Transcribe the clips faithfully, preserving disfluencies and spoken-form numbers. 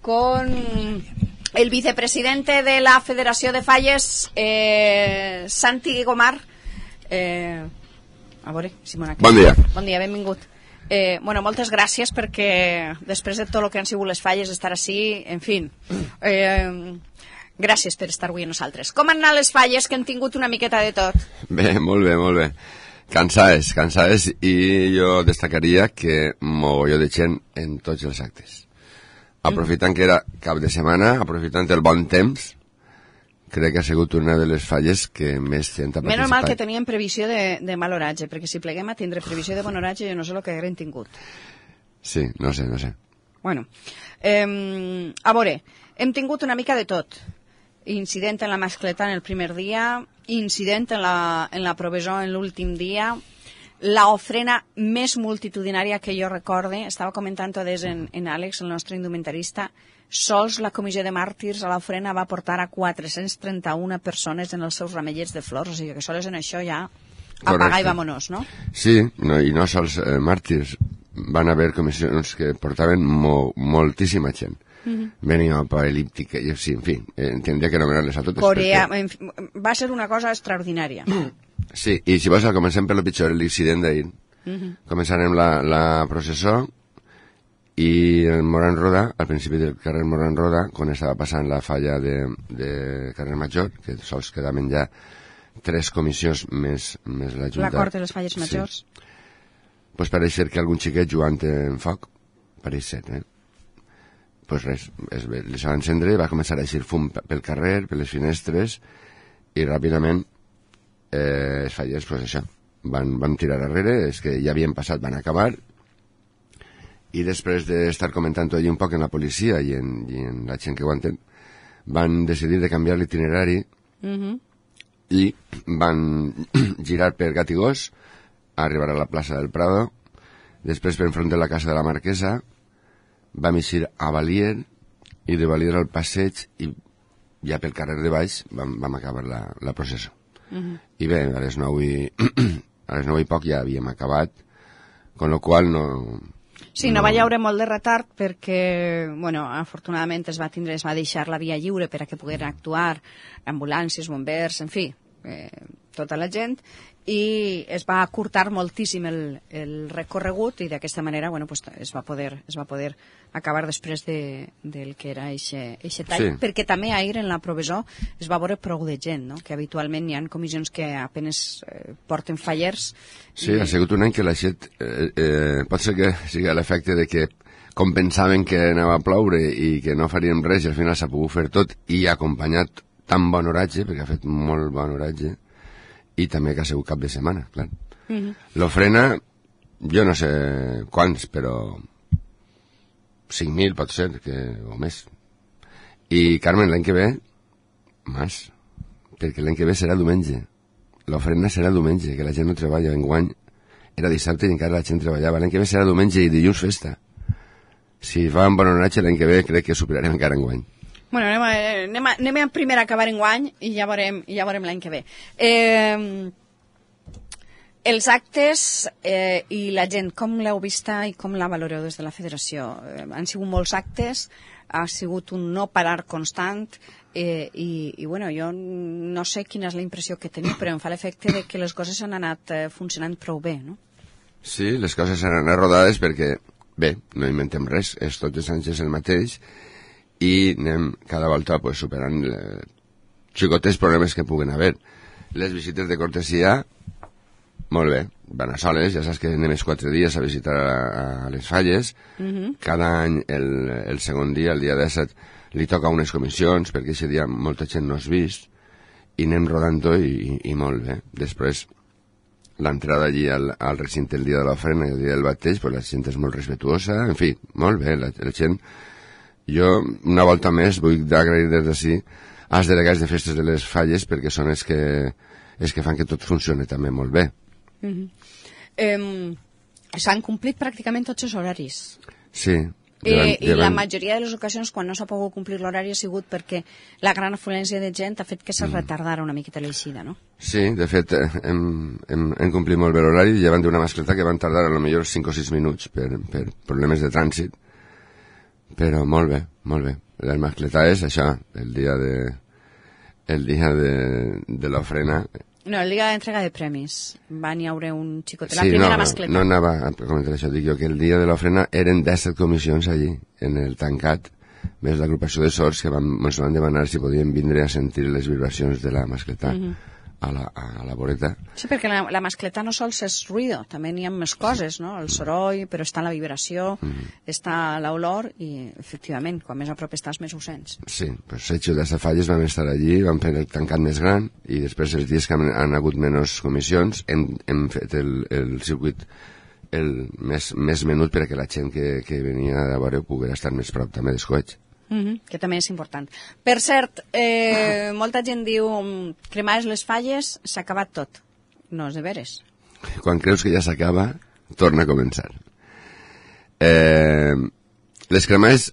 con el vicepresidente de la Federació de Falles, eh, Santi Gomar. Eh, a veure, Simona. Bon dia. Bon dia, benvingut. Eh, bueno, moltes gràcies perquè després de tot el que han sigut les falles, estar així, en fi, eh, gràcies per estar avui amb nosaltres. Com han anat les falles, que han tingut una miqueta de tot? Bé, molt bé, molt bé. Cansades, cansades, i jo destacaria que mogolló de gent en tots els actes. Aprofitant que era cap de setmana, aprofitant el bon temps, crec que ha sigut una de les falles que més gent ha participat. Menys mal que teníem previsió de, de mal oratge, perquè si pleguem a tindre previsió de bon oratge, jo no sé el que haguem tingut. Sí, no sé, no sé. Bueno, eh, a veure, hem tingut una mica de tot. Incident en la mascleta en el primer dia, incident en la, en la provesó en l'últim dia, la ofrena més multitudinària que jo recorde, estava comentant des en, en Àlex, el nostre indumentarista, sols la comissió de màrtirs a l'ofrena va portar a quatre-cents trenta-una persones en els seus ramellets de flors, o sigui que sols en això ja apagar i vámonos, no? Sí, no, i no sols eh, màrtirs, van haver comissions que portaven mo, moltíssima gent. Uh-huh. Venia apocalíptica, i sí, en fi, eh, tindria que anomenar-les a totes. Corea, perquè... en fi, va ser una cosa extraordinària. Sí, i si vols, comencem per lo pitjor, l'incident d'ahir. Uh-huh. Començarem la, la processó, i el Moran Roda, al principi del carrer Moran Roda, quan estava passant la falla de, de carrer Major, que sols quedaven ja tres comissions més, més la Junta. L'acord de les falles majors. Sí. Pues pareix ser que algun xiquet jugant en foc, pareix ser, eh? Pues res, es, les va encendre, va començar a eixir fum pel carrer, per les finestres, i ràpidament eh, els fallers, pues això, van, van tirar darrere, és que ja havien passat, van acabar, i després d'estar comentant tot un poc en la policia i en, i en la gent que aguanten, van decidir de canviar l'itinerari uh-huh. i van girar per Gatigós, arribar a la plaça del Prado, després per enfront de la casa de la Marquesa, vam eixir a Valier, i de Valier al passeig, i ja pel carrer de baix vam, vam acabar la, la processó. Uh-huh. I bé, a les nou i, a les nou i poc ja havíem acabat, con lo qual no... Sí, no, no va haure molt de retard perquè, bueno, afortunadament es va tindre, es va deixar la via lliure per a que pogueren actuar ambulàncies, bombers, en fi, eh, tota la gent, i es va acurtar moltíssim el, el recorregut i d'aquesta manera, bueno, pues, es va poder, es va poder acabar després de, del que era eixe tall, sí. Perquè també ahir en la provesó es va veure prou de gent, no? Que habitualment hi ha comissions que apenes eh, porten fallers. Sí, i... ha sigut un any que la gent eh, eh, pot ser que sigui l'efecte de que com pensaven que anava a ploure i que no faríem res i al final s'ha pogut fer tot i acompanyat tan bon oratge, perquè ha fet molt bon oratge, i també que ha sigut cap de setmana, clar. Uh-huh. L'ofrena, jo no sé quants, però cinc mil pot ser, que, o més. I, Carmen, l'any que ve, més, perquè l'any que ve serà diumenge. L'ofrena serà diumenge, que la gent no treballa. Enguany era dissabte i encara la gent treballava. L'any que ve serà diumenge i dilluns festa. Si fa un bon homenatge l'any que ve, crec que superarem encara enguany. Bueno, anem a, anem a, anem a primer a acabar enguany i ja veurem, ja veurem l'any que ve. Eh, els actes eh, i la gent, com l'heu vista i com la valoreu des de la federació? Eh, han sigut molts actes, ha sigut un no parar constant eh, i, i bueno, jo no sé quina és la impressió que teniu, però em fa l'efecte de que les coses han anat eh, funcionant prou bé, no? Sí, les coses han anat rodades perquè, bé, no inventem res, és tots els anys és el mateix, i anem cada volta pues, superant eh, xicotes problemes que puguen haver. Les visites de cortesia, molt bé, van a soles, ja saps que anem els quatre dies a visitar a, a les falles. Uh-huh. Cada any, el, el segon dia, el dia disset, li toca unes comissions, perquè aquest dia molta gent no has vist, i anem rodant-ho i, i, i molt bé. Després, l'entrada allí al, al recinte el dia de l'ofrena i el dia del bateig, pues, la gent és molt respetuosa, en fi, molt bé, la, la gent... Jo, una volta més, vull agrair des d'ací als delegats de festes de les falles perquè són els que, els que fan que tot funcioni també molt bé. Uh-huh. eh, S'han complit pràcticament tots els horaris. Sí. Eh, I la majoria de les ocasions quan no s'ha pogut complir l'horari ha sigut perquè la gran afluència de gent ha fet que se retardara una miqueta l'eixida, no? Sí, de fet, hem, hem, hem complit molt bé l'horari, llevant d'una mascleta que van tardar a lo millor cinc o sis minuts per, per problemes de trànsit, però molt bé, molt bé. Les mascletades, això, el dia de el dia de, de l'ofrena. No, el dia d'entrega de premis. Van hi haure un xicot. La Sí, primera no, mascleta. no anava a comentar això, dic jo que el dia de l'ofrena eren disset comissions allí, en el tancat, més l'agrupació de sords que van, ens van demanar si podien vindre a sentir les vibracions de la mascleta. Mm-hmm. A la, a la voreta. Sí, perquè la, la mascleta no sols és ruïdo, també n'hi ha més coses, no? El soroll, però està la vibració, mm. està l'olor i, efectivament, quan més a prop estàs, més ho sents. Sí, doncs Setxo de Falles vam estar allí, vam fer el tancat més gran i després els dies que han, han hagut menys comissions hem, hem fet el, el circuit el més, més menut perquè la gent que, que venia a veure pogués estar més prop també dels coets. Mm-hmm, que també és important. Per cert, eh, molta gent diu cremades les falles, s'ha acabat tot. No és de veres. Quan creus que ja s'acaba, torna a començar. Eh, les cremades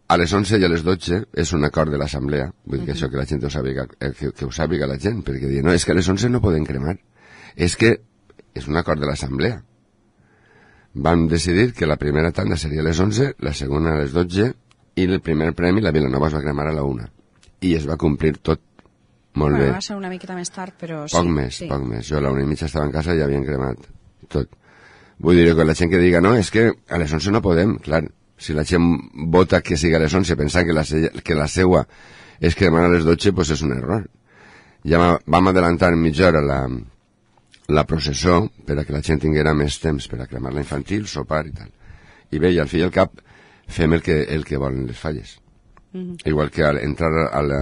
a les onze i a les dotze és un acord de l'assemblea, vull dir que mm-hmm. això que la gent ho sàpiga, que, que ho sàpiga la gent, perquè diuen, no, és que a les onze no poden cremar. És que és un acord de l'assemblea. Vam decidir que la primera tanda seria a les onze, la segona a les dotze, i el primer premi la Vilanova es va cremar a la una i es va complir tot molt bueno, bé. Va ser una miqueta més tard, però poc sí. més, sí. poc més. Jo a la una i mitja estava en casa i ja havien cremat tot. Vull dir que la gent que diga, no, és que a les onze no podem, clar, si la gent vota que sigui a les onze pensant que la, que la seua és cremar a les dotze, pues és un error. Ja vam adelantar mitja hora la, la processó per a que la gent tinguera més temps per a cremar la infantil, sopar i tal. I bé, i al fi i al cap fem el que, el que volen les falles. Mm-hmm. Igual que al entrar a, la,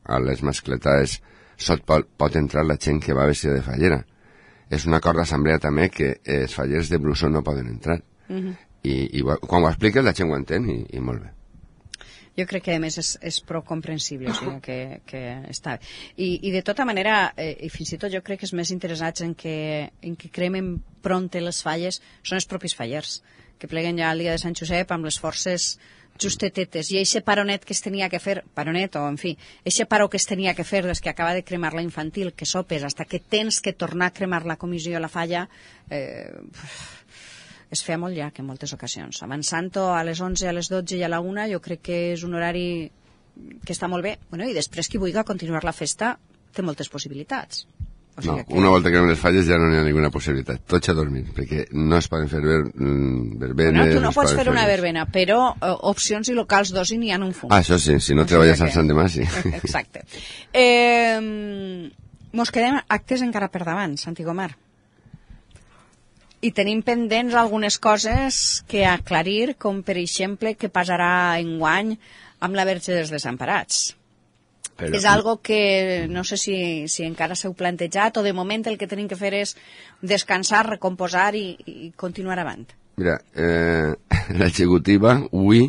a les mascletades sot pot, pot entrar la gent que va vestida de fallera. És un acord d'assemblea també que els fallers de blusó no poden entrar. Mm-hmm. I, i quan ho expliques la gent ho entén i, i molt bé. Jo crec que a més és, és prou comprensible, o sigui que, que està bé. I, i de tota manera, eh, i fins i tot jo crec que els més interessats en que, en que cremen pronte les falles són els propis fallers, que pleguen ja el dia de Sant Josep amb les forces justetetes, i eixe paronet que es tenia que fer, paronet o en fi, eixe paro que es tenia que fer des que acaba de cremar la infantil, que sopes, hasta que tens que tornar a cremar la comissió a la falla, eh, es feia molt llarg en moltes ocasions. Avançant-ho a les onze, a les dotze i a la una, jo crec que és un horari que està molt bé. Bueno, i després qui vulgui continuar la festa té moltes possibilitats. O sigui no, que... una volta que cremem les falles ja no n'hi ha ninguna possibilitat. Tots a dormir, perquè no es poden fer ver, verbenes... Bueno, tu no pots fer, fer una verbena, però uh, opcions i locals d'oci n'hi ha un fum. Ah, això sí, si no treballes al Sant Demà, sí. Exacte. Eh, mos quedem actes encara per davant, Santi Gomar. I tenim pendents algunes coses que aclarir, com per exemple què passarà enguany amb la Verge dels Desemparats. Però... és algo que no sé si, si encara s'heu plantejat o de moment el que tenim que fer és descansar, recomposar i, i continuar avant. Mira, eh, l'executiva, avui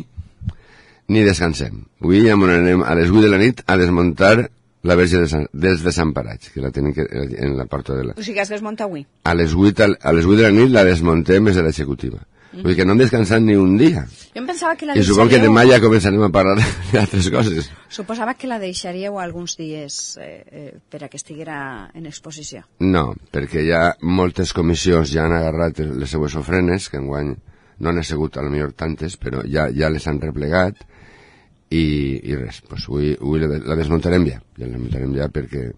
ni descansem. Avui ja anem a les vuit de la nit a desmuntar la Verge dels Desemparats, que la tenen que, en la porta de la... O sigui, has desmuntat avui? A les vuit, a les vuit de la nit la desmuntem des de l'executiva. Mm. Vull dir que no hem descansat ni un dia. Jo em pensava que la I deixaríeu... supongo que demà ja començarem a parlar d'altres coses. Suposava que la deixaríeu alguns dies eh, eh, per a que estiguera en exposició. No, perquè ja moltes comissions ja han agarrat les seues ofrenes, que enguany no han sigut a lo millor tantes, però ja, ja les han replegat, i, i res, pues avui, avui la, la desmuntarem ja, ja la desmuntarem ja perquè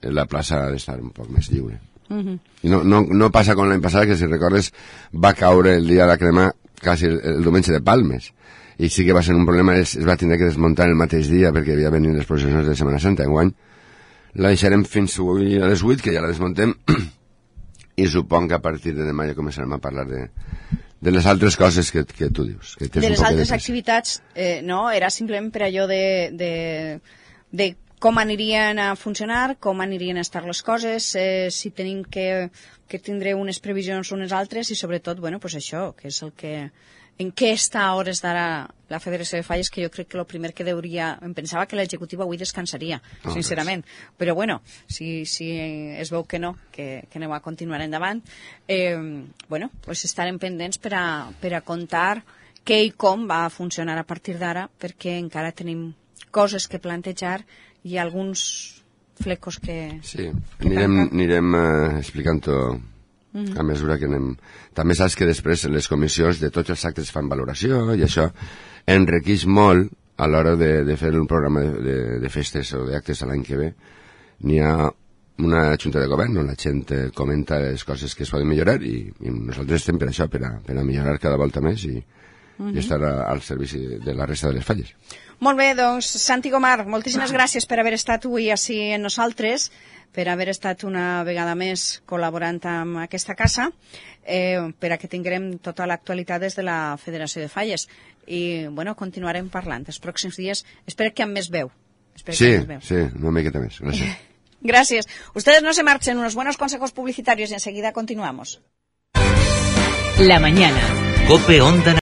la plaça ha d'estar un poc més lliure. Uh-huh. I no, no, no passa com l'any passat, que si recordes va caure el dia de cremar quasi el, el diumenge de Palmes, i sí que va ser un problema, es, es va tindre que desmuntar el mateix dia perquè havia venit les processions de Setmana Santa. Enguany la deixarem fins avui a les vuit, que ja la desmuntem, i supong que a partir de demà ja començarem a parlar de, de les altres coses que, que tu dius, que de les altres de activitats, eh, no, era simplement per allò de, de, de com anirien a funcionar, com anirien a estar les coses, eh, si tenim que, que tindre unes previsions unes altres, i sobretot, bueno, pues això, que és el que... En què està a hores d'ara la Federació de Falles, que jo crec que el primer que deuria... Em pensava que l'executiva avui descansaria, oh, sincerament. Res. Però bueno, si, si es veu que no, que, que aneu a continuar endavant, eh, bueno, pues estarem pendents per a, per a contar què i com va funcionar a partir d'ara, perquè encara tenim coses que plantejar i alguns flecos que... Sí, que anirem, anirem uh, explicant-ho a mesura que anem... També saps que després les comissions de tots els actes fan valoració i això enriqueix molt a l'hora de, de fer un programa de, de, de festes o d'actes l'any que ve. N'hi ha una junta de govern on la gent comenta les coses que es poden millorar i, i nosaltres estem per això, per a, per a millorar cada volta més i, uh-huh. i estar a, al servici de la resta de les falles. Molt bé, doncs, Santi Gomar, moltíssimes gràcies per haver estat avui així amb nosaltres, per haver estat una vegada més col·laborant amb aquesta casa, eh, per a que tinguem tota l'actualitat des de la Federació de Falles. I, bueno, continuarem parlant els pròxims dies. Espero que amb més veu. Espero sí, que amb més veu. sí, una miqueta més. Gràcies. Gracias. Ustedes no se marchen, unos buenos consejos publicitarios y enseguida continuamos. La mañana. COPE Onda